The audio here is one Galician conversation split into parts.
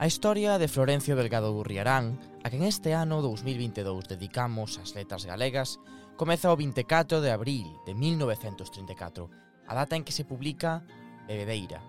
A historia de Florencio Delgado Gurriarán, a quen este ano 2022 dedicamos as letras galegas, comeza o 24 de abril de 1934, a data en que se publica Bebedeira.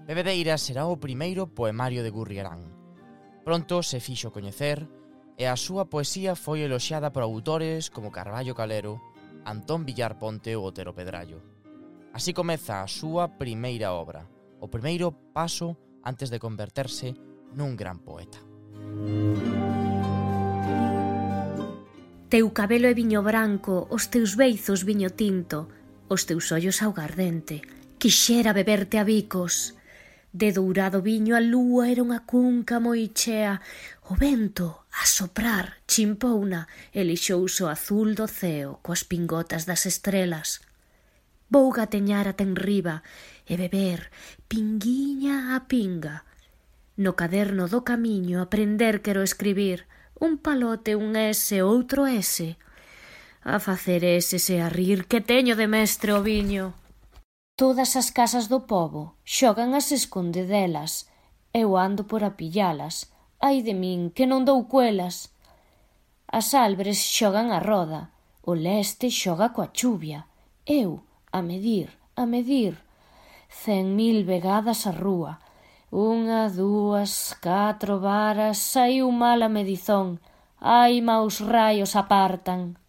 Bebedeira será o primeiro poemario de Gurriarán. Pronto se fixo coñecer e a súa poesía foi eloxiada por autores como Carballo Calero, Antón Villar Ponte ou Otero Pedrallo. Así comeza a súa primeira obra, o primeiro paso antes de converterse nun gran poeta. Teu cabelo é viño branco, os teus beizos viño tinto, os teus ollos augardente, quixera beberte a bicos. De dourado viño a lúa era unha cunca moi chea, o vento, a soprar, chimpouna e lixouse o azul do ceo coas pingotas das estrelas. Vou gateñar ata enriba e beber pinguiña a pinga. No caderno do camiño aprender quero escribir un palote, un S, outro S. A facer S e a rir que teño de mestre o viño. Todas as casas do pobo xogan as escondedelas. Eu ando por a pillalas. Ai de min, que non dou cuelas. As albres xogan a roda. O leste xoga coa chuvia. Eu, a medir, 100.000 vegadas a rúa. 1, 2, 4 varas, saiu mal a medizón. Ai, maus raios apartan.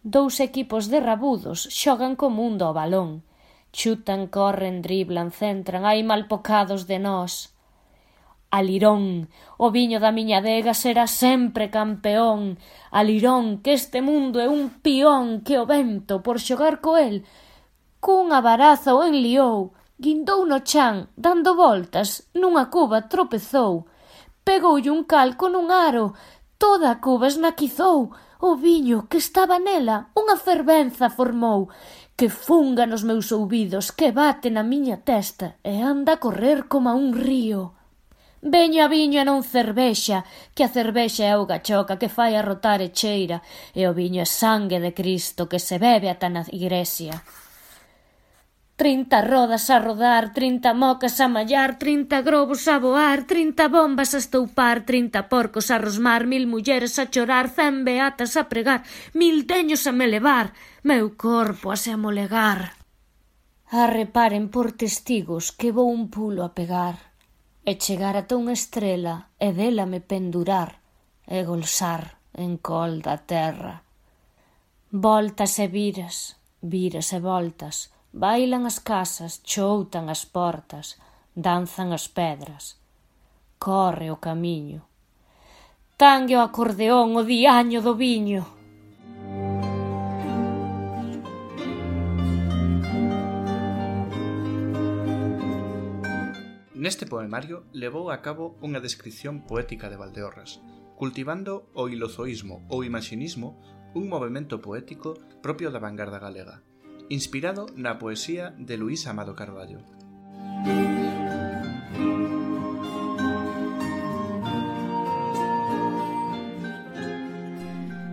2 equipos de rabudos xogan co mundo ao balón. Chutan, corren, driblan, centran, ai malpocados de nós. Alirón, o viño da miña adega será sempre campeón. Alirón, que este mundo é un pión que o vento, por xogar co el, cunha baraza o enliou, guindou no chan, dando voltas, nunha cuba tropezou, pegoulle un calco nun aro, toda a cuba esnaquizou, o viño que estaba nela unha fervenza formou, que funga nos meus ouvidos, que bate na miña testa e anda a correr coma un río. Veño a viño e non cervexa, que a cervexa é auga choca que fai arrotar e cheira, e o viño é sangue de Cristo que se bebe ata na igresia. 30 rodas a rodar, 30 mocas a mallar, 30 globos a voar, 30 bombas a estoupar, 30 porcos a rosmar, 1000 mulleres a chorar, 100 beatas a pregar, 1000 teños a me levar, meu corpo a se amolegar. Arreparen por testigos que vou un pulo a pegar, e chegar ata unha estrela e dela me pendurar, e golsar en col da terra. Voltas e viras, viras e voltas, bailan as casas, choutan as portas, danzan as pedras. Corre o camiño. Tangue o acordeón o diaño do viño. Neste poemario levou a cabo unha descripción poética de Valdeorras, cultivando o ilozoísmo ou imaxinismo, un movemento poético propio da vanguarda galega, inspirado na poesía de Luís Amado Carballo.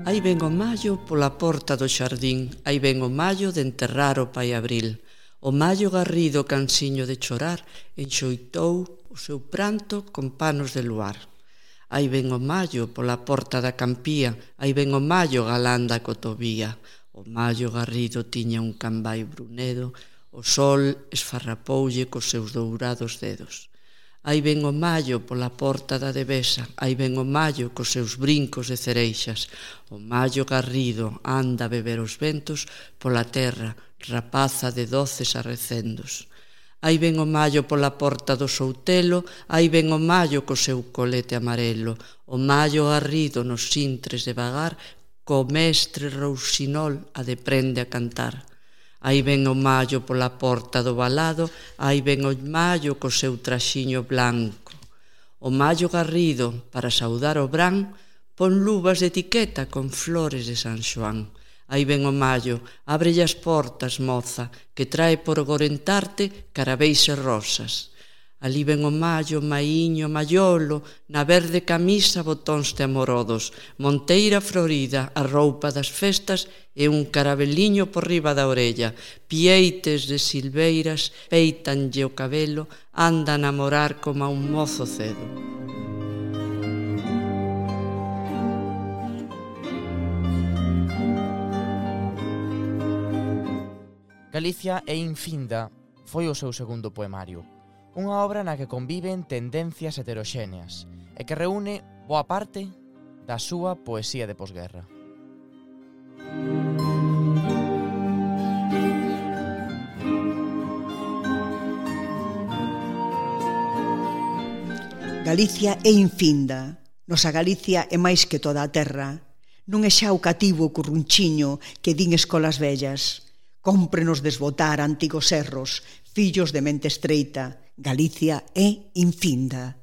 Aí ven o mallo pola porta do xardín, aí ven o mallo de enterrar o pai abril. O mallo garrido cansiño de chorar enxoitou o seu pranto con panos de luar. Aí ven o mallo pola porta da campía, aí ven o mallo galán da cotovía. O mallo garrido tiña un cambai brunedo, o sol esfarrapoulle cos seus dourados dedos. Aí ven o mallo pola porta da devesa, aí ven o mallo cos seus brincos de cereixas. O mallo garrido anda a beber os ventos pola terra, rapaza de doces arrecendos. Aí ven o mallo pola porta do Soutelo, aí ven o mallo co seu colete amarelo. O mallo garrido nos sintres de vagar, co mestre Rousinol a deprende a cantar. Aí ven o mallo pola porta do valado, aí ven o mallo co seu traxiño blanco. O mallo garrido, para saudar o brán, pon luvas de etiqueta con flores de San Xoán. Aí ven o mallo, ábrelle as portas, moza, que trae por gorentarte carabéis e rosas. Ali ven o mallo, maiño, maiolo, na verde camisa botóns de amorodos, monteira florida, a roupa das festas e un carabeliño por riba da orella, pieites de silveiras, peitanlle o cabelo, anda a namorar como a un mozo cedo. Galicia é infinda foi o seu segundo poemario, unha obra na que conviven tendencias heteroxéneas e que reúne boa parte da súa poesía de posguerra. Galicia é infinda, nosa Galicia é máis que toda a terra. Non é xa o cativo currunchiño que din escolas vellas. Cómprenos desbotar antigos erros, fillos de mente estreita. Galicia é infinda.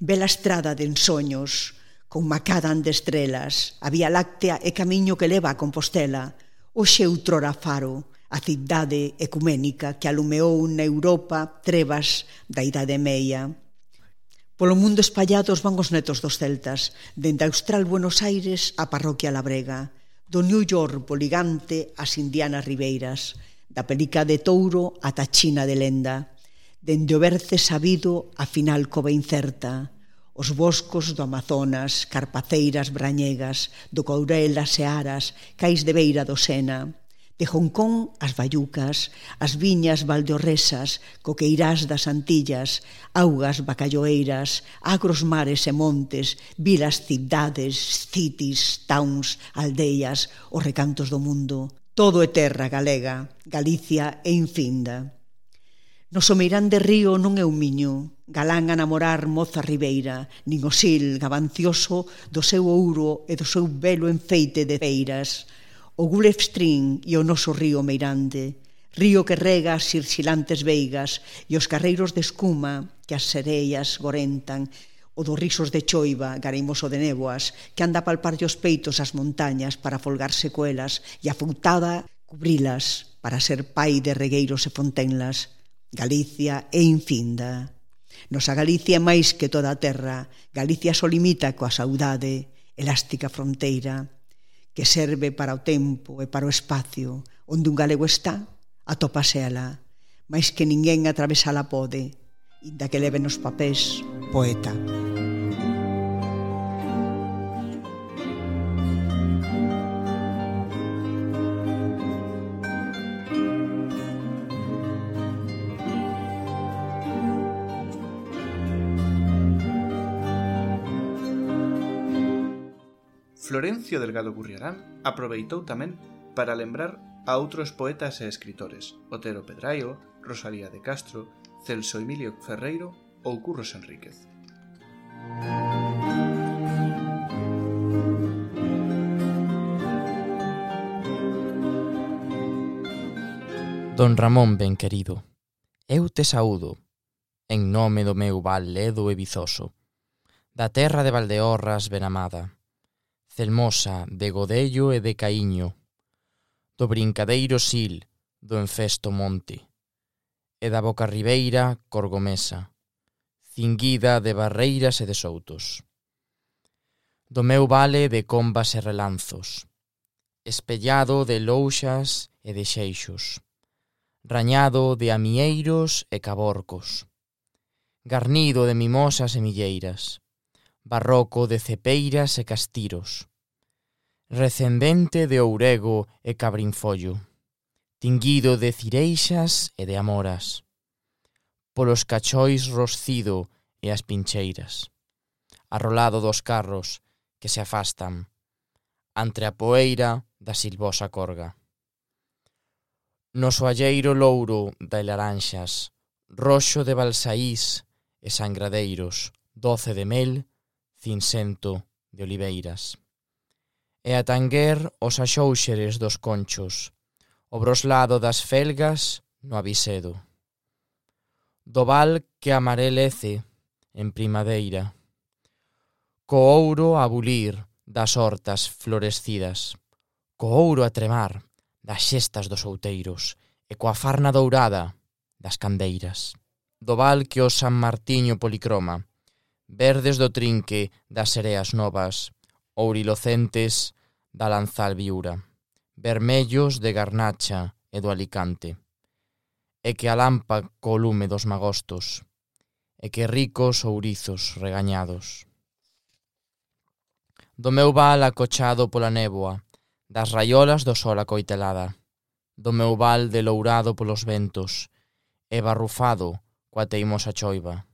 Bela estrada de ensoños, con macadán de estrelas, a Vía Láctea é camiño que leva a Compostela. Hoxe outrora Faro, a cidade ecuménica que alumeou na Europa trevas da Idade Meia. Polo mundo espallados van os netos dos celtas, dende Austral Buenos Aires a Parroquia Labrega, do New York poligante ás Indianas Ribeiras, da Pelica de Touro ata China de Lenda, dende o Berce sabido a final cova incerta, os boscos do Amazonas, carpaceiras brañegas, do Courel as Searas, cais de beira do Sena, de Hong Kong as Bayucas, as viñas valdeorresas, coqueirás das Antillas, augas bacalloeiras, agros mares e montes, vilas cidades, cities, towns, aldeas, os recantos do mundo. Todo é terra galega, Galicia é infinda. No someirán de río non é un miño, galán a namorar moza ribeira, nin o sil gavancioso do seu ouro e do seu belo enfeite de feiras. O Gulf Stream e o noso río meirande, río que rega as xirxilantes veigas e os carreiros de escuma que as sereias gorentan, o dos risos de choiva, gareimoso de néboas, que anda a palparlle os peitos ás montañas para folgar secuelas e a foutada cubrilas para ser pai de regueiros e fontenlas. Galicia é infinda. Nosa Galicia é máis que toda a terra. Galicia só limita coa saudade, elástica fronteira, que serve para o tempo e para o espacio. Onde un galego está, atópase ela, máis que ninguén atravesala pode, inda que leve nos papéis poeta. Florencio Delgado Gurriarán aproveitou tamén para lembrar a outros poetas e escritores, Otero Pedraio, Rosalía de Castro, Celso Emilio Ferreiro ou Curros Enríquez. Don Ramón ben querido, eu te saúdo, en nome do meu val ledo e vizoso, da terra de Valdeorras ben amada, celmosa de godello e de caíño, do brincadeiro sil, do enfesto monte, e da boca ribeira corgomesa, cinguida de barreiras e de soutos, do meu vale de combas e relanzos, espellado de louxas e de xeixos, rañado de amieiros e caborcos, garnido de mimosas e milleiras, barroco de cepeiras e castiros, recendente de ourego e cabrinfollo, tinguido de cireixas e de amoras, polos cachois roscido e as pincheiras, arrolado dos carros que se afastan, ante a poeira da silvosa corga. No soalleiro louro de laranxas, roxo de balsaís e sangradeiros, doce de mel, cincento de oliveiras. E a tanguer os axouxeres dos conchos, o broslado das felgas no avisedo. Do val que amarelece en primadeira, co ouro a bulir das hortas florescidas, co ouro a tremar das xestas dos outeiros e coa farna dourada das candeiras. do val que o San Martiño policroma, verdes do trinque das sereas novas, ourilocentes da lanzal viura, vermellos de garnacha e do Alicante, e que alampa co lume dos magostos, e que ricos ourizos regañados. Do meu val acochado pola néboa, das raiolas do sol acoitelada, do meu val delourado polos ventos, e barrufado coa teimosa choiva,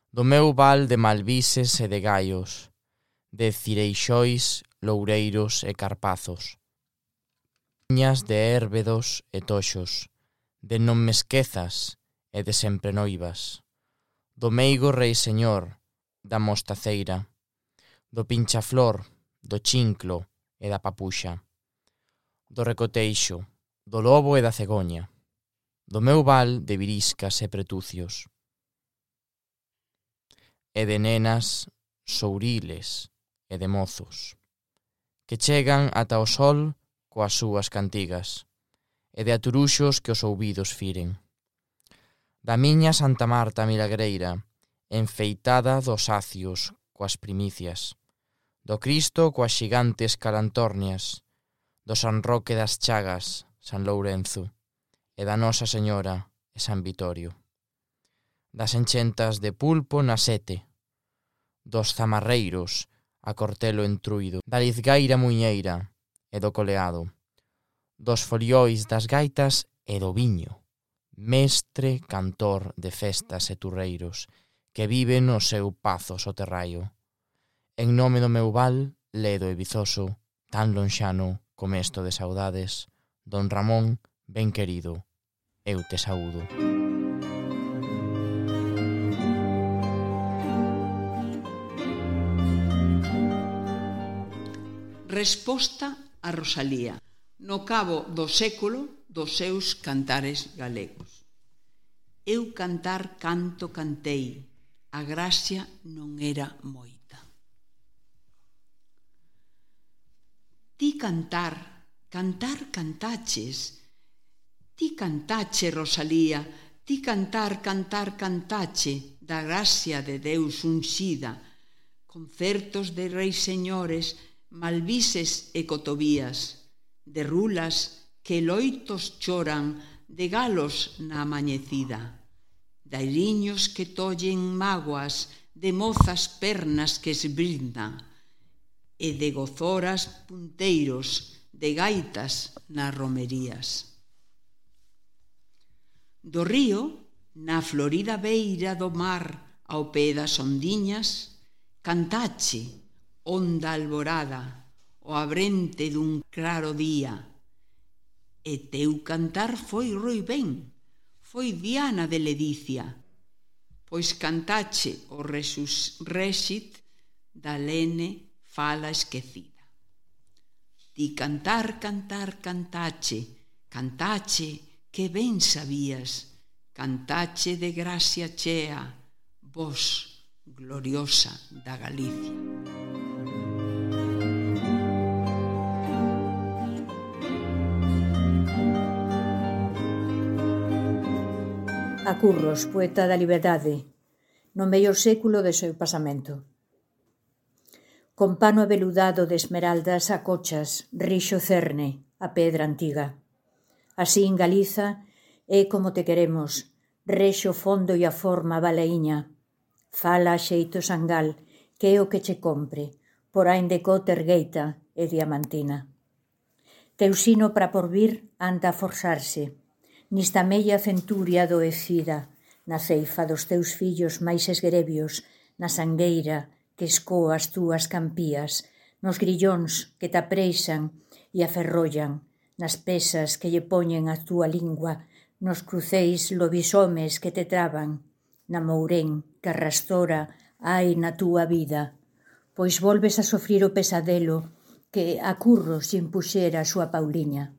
do meu val de malvises e de gaios, de cireixois, loureiros e carpazos, viñas de érbedos e toxos, de non me esquezas e de sempre noivas, do meigo rei señor, da mostaceira, do pinchaflor, do chinclo e da papuxa, do recoteixo, do lobo e da cegoña, do meu val de viriscas e pretucios, e de nenas souriles e de mozos, que chegan ata o sol coas súas cantigas, e de aturuxos que os ouvidos firen. Da miña Santa Marta milagreira, enfeitada dos acios coas primicias, do Cristo coas xigantes calantornias, do San Roque das Chagas, San Lourenzo, e da Nosa Señora e San Vitorio, das enchentas de pulpo na sete, dos zamarreiros a cortelo entruido, da lizgaira muñeira e do coleado, dos foliois das gaitas e do viño, mestre cantor de festas e turreiros, que vive no seu pazo soterraio. En nome do meu val, ledo e vizoso, tan lonxano como esto de saudades, don Ramón, ben querido, eu te saúdo. Resposta a Rosalía, no cabo do século dos seus cantares galegos. Eu cantar canto cantei, a gracia non era moita. Ti cantar cantaches, ti cantache, Rosalía, ti cantache da gracia de Deus unxida, concertos de reis señores, malvises e cotovías, de rulas que loitos choran, de galos na amañecida, de airiños que tollen mágoas, de mozas pernas que esbrindan, e de gozoras punteiros, de gaitas nas romerías. Do río, na florida beira do mar, ao pé das ondiñas, cantache, onda alborada, o abrente dun claro día, e teu cantar foi roibén, foi diana de ledicia, pois cantache o réxit da lene fala esquecida. Ti cantache, que ben sabías, cantache de gracia chea, vos, gloriosa da Galicia. A Curros, poeta da liberdade, no mellor século do seu pasamento. Con pano aveludado de esmeraldas acochas, rixo cerne, a pedra antiga. Así en Galiza é como te queremos, rexo fondo e a forma balaíña. Fala a xeito sangal, que é o que che compre, porán de cota ergueita e diamantina. Teu sino para porvir anda a forzarse, nista mella centuria adoecida, na ceifa dos teus fillos máis esgrebios, na sangueira que escoa as túas campías, nos grillóns que te apreixan e aferrollan, nas pesas que lle poñen a túa lingua, nos cruceis lobisomes que te traban, na mourén que arrastora hai na túa vida, pois volves a sofrir o pesadelo que a Curros lle impuxera a súa Pauliña.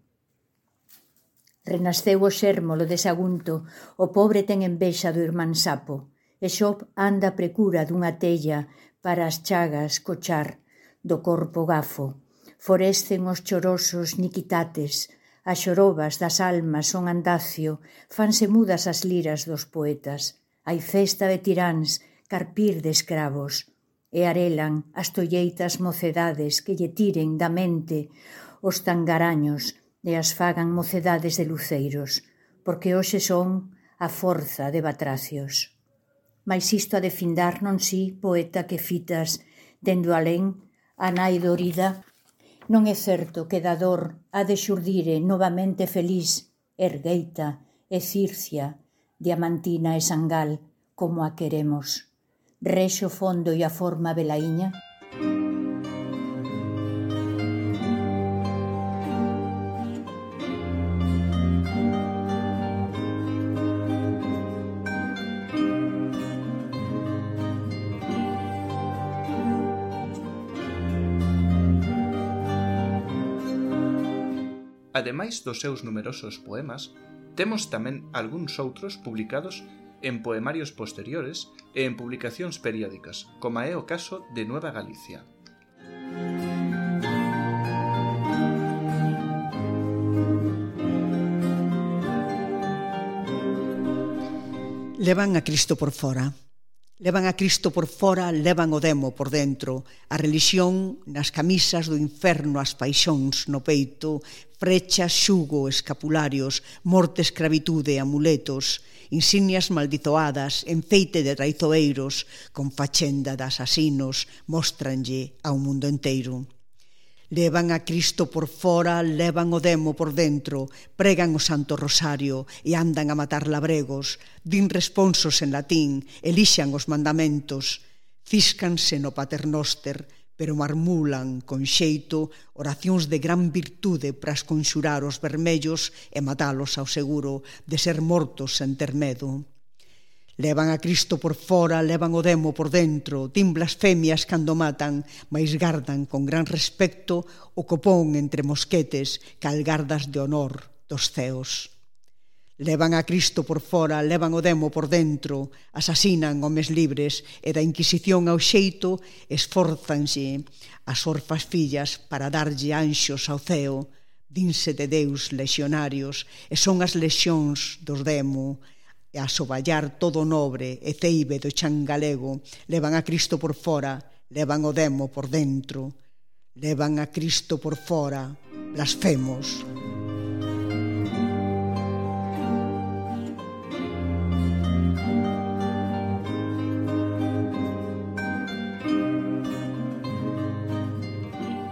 Renasceu o xérmolo de Sagunto, o pobre ten envexa do irmán Sapo, e Xop anda a precura dunha tella para as chagas cochar do corpo gafo. Forescen os chorosos niquitates, as xorobas das almas son andacio, fanse mudas as liras dos poetas, Hai festa de tiráns, carpir de escravos, e arelan as tolleitas mocedades que lle tiren da mente os tangaraños e as fagan mocedades de luceiros, porque hoxe son a forza de batracios. Mais isto ha de findar non si, poeta que fitas dendo alén a nai dorida, non é certo que da dor ha de xurdire novamente feliz, ergueita e circia, diamantina e sangal, como a queremos. Rexo fondo e a forma velaíña. Ademais dos seus numerosos poemas, temos tamén algúns outros publicados en poemarios posteriores e en publicacións periódicas, como é o caso de Nueva Galicia. Levan a Cristo por fora. Levan a Cristo por fora, levan o demo por dentro, a relixión nas camisas do inferno, as paixóns no peito, frechas, xugo, escapularios, morte, escravitude, amuletos, insignias maldizoadas, enfeite de traizoeiros, con fachenda de asasinos, móstranlle ao mundo enteiro. Levan a Cristo por fora, levan o demo por dentro, pregan o Santo Rosario e andan a matar labregos, din responsos en latín, elixan os mandamentos, císcanse no Paternoster, pero marmulan con xeito oracións de gran virtude para esconxurar os vermellos e matalos ao seguro de ser mortos sen ter medo. Levan a Cristo por fora, levan o demo por dentro, din blasfemias cando matan, mais gardan con gran respecto o copón entre mosquetes, calgardas de honor dos ceos. Levan a Cristo por fora, levan o demo por dentro, asasinan homes libres e da Inquisición ao xeito esforzanse as orfas fillas para darlle anxos ao ceo, dinse de Deus lexionarios e son as lexións dos demo, e a soballar todo nobre e ceibe do chan galego, levan a Cristo por fora, levan o demo por dentro, levan a Cristo por fora, blasfemos.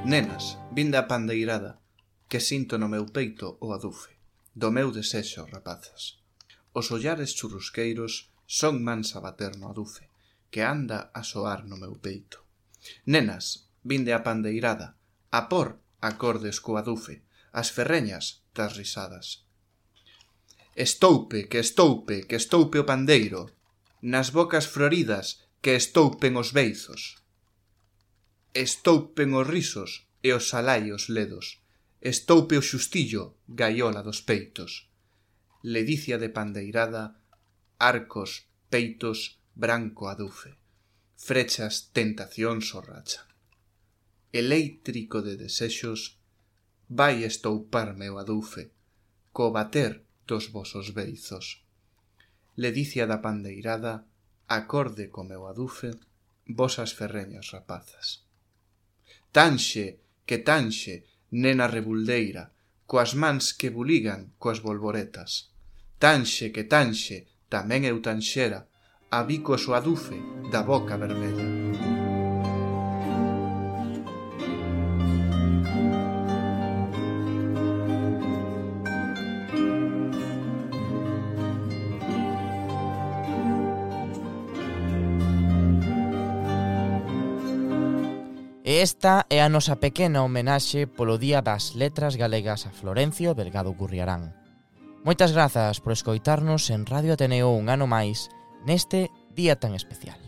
Nenas, vinde a pandeirada, que sinto no meu peito o adufe, do meu desexo, rapazas. Os ollares churrusqueiros son mans a bater no adufe, que anda a soar no meu peito. Nenas, vinde a pandeirada, a por acordes co adufe, as ferreñas das risadas. Estoupe, que estoupe, que estoupe o pandeiro, nas bocas floridas que estoupen os beizos. Estoupen os risos e os salaios ledos, estoupe o xustillo, gaiola dos peitos. Ledicia de pandeirada, arcos, peitos, branco adufe, frechas, tentacións o rachan. Eléctrico de desexos, vai estouparme o adufe, co bater dos vosos beizos. Ledicia da pandeirada, acorde co meu adufe, vosas ferreñas rapazas. Tanxe, nena rebuldeira, coas mans que buligan coas bolboretas. Tanxe, tamén eu tanxera, a bico o adufe da boca vermella. E esta é a nosa pequena homenaxe polo Día das Letras Galegas a Florencio Delgado Gurriarán. Moitas grazas por escoitarnos en Radio Ateneo un ano máis neste día tan especial.